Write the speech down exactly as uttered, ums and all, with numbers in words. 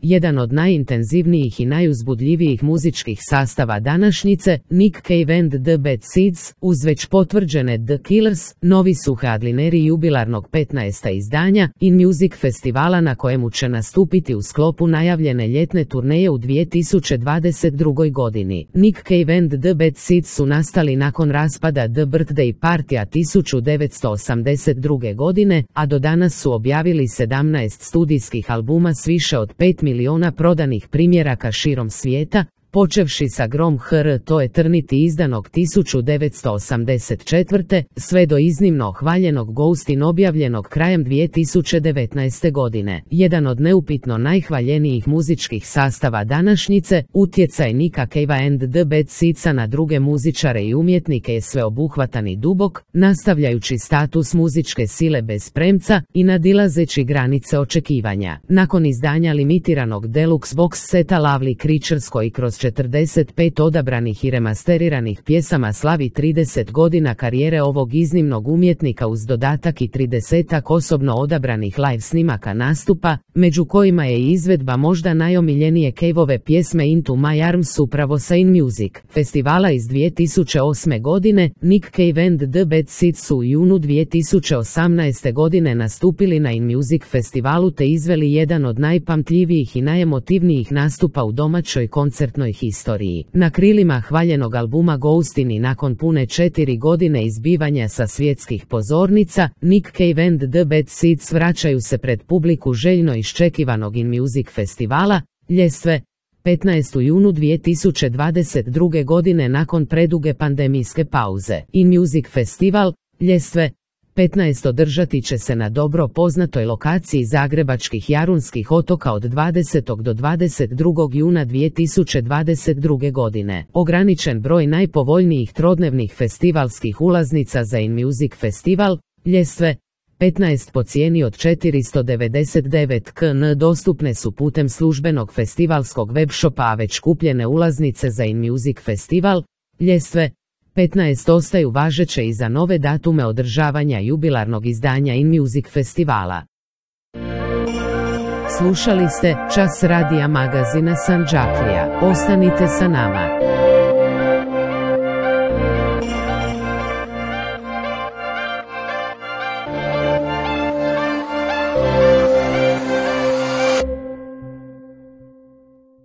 jedan od najintenzivnijih i najuzbudljivijih muzičkih sastava današnjice, Nick Cave and the Bad Seeds, uz već potvrđene The Killers, novi su headlineri jubilarnog petnaestog izdanja In Music festivala na kojemu će nastupiti u sklopu najavljene ljetne turneje u dvije tisuće dvadeset drugoj godini. Nick Cave and the Bad Seeds su nastali nakon raspada The Birthday Partya tisuću devetsto osamdeset druge godine, a do danas su objavili sedamnaest studijskih albuma s više od pet miliona prodanih primjeraka širom svijeta, počevši sa Grom Her to Eternity izdanog tisuću devetsto osamdeset četvrte sve do iznimno hvaljenog Ghostin objavljenog krajem dvije tisuće devetnaeste godine. Jedan od neupitno najhvaljenijih muzičkih sastava današnjice, utjecaj Nicka Cavea and the Bad Seedsa na druge muzičare i umjetnike je sveobuhvatan i dubok, nastavljajući status muzičke sile bez premca i nadilazeći granice očekivanja. Nakon izdanja limitiranog deluxe box seta Lovely Creatures koji kroz četrdeset pet odabranih i remasteriranih pjesama slavi trideset godina karijere ovog iznimnog umjetnika uz dodatak i tridesetak osobno odabranih live snimaka nastupa, među kojima je i izvedba možda najomiljenije Caveove pjesme Into My Arms upravo sa In Music festivala iz dvije tisuće osme godine, Nick Cave and the Bad Seeds su u junu dvije tisuće osamnaeste godine nastupili na In Music festivalu te izveli jedan od najpamtljivijih i najemotivnijih nastupa u domaćoj koncertnoj historiji. Na krilima hvaljenog albuma Ghostin i nakon pune četiri godine izbivanja sa svjetskih pozornica, Nick Cave and the Bad Seeds vraćaju se pred publiku željno iščekivanog In Music festivala, ljestve, petnaestog juna dvije tisuće dvadeset druge godine nakon preduge pandemijske pauze. In Music festival, ljestve, petnaest održati će se na dobro poznatoj lokaciji zagrebačkih Jarunskih otoka od dvadesetog do dvadeset drugog juna dvije tisuće dvadeset druge godine. Ograničen broj najpovoljnijih trodnevnih festivalskih ulaznica za In Music festival, ljestve, petnaest po cijeni od četiristo devedeset devet kuna dostupne su putem službenog festivalskog webshopa, a već kupljene ulaznice za In Music festival, ljestve, petnaest ostaju važeće i za nove datume održavanja jubilarnog izdanja In Music festivala. Slušali ste Čas radija magazina Sandžaklija. Ostanite sa nama.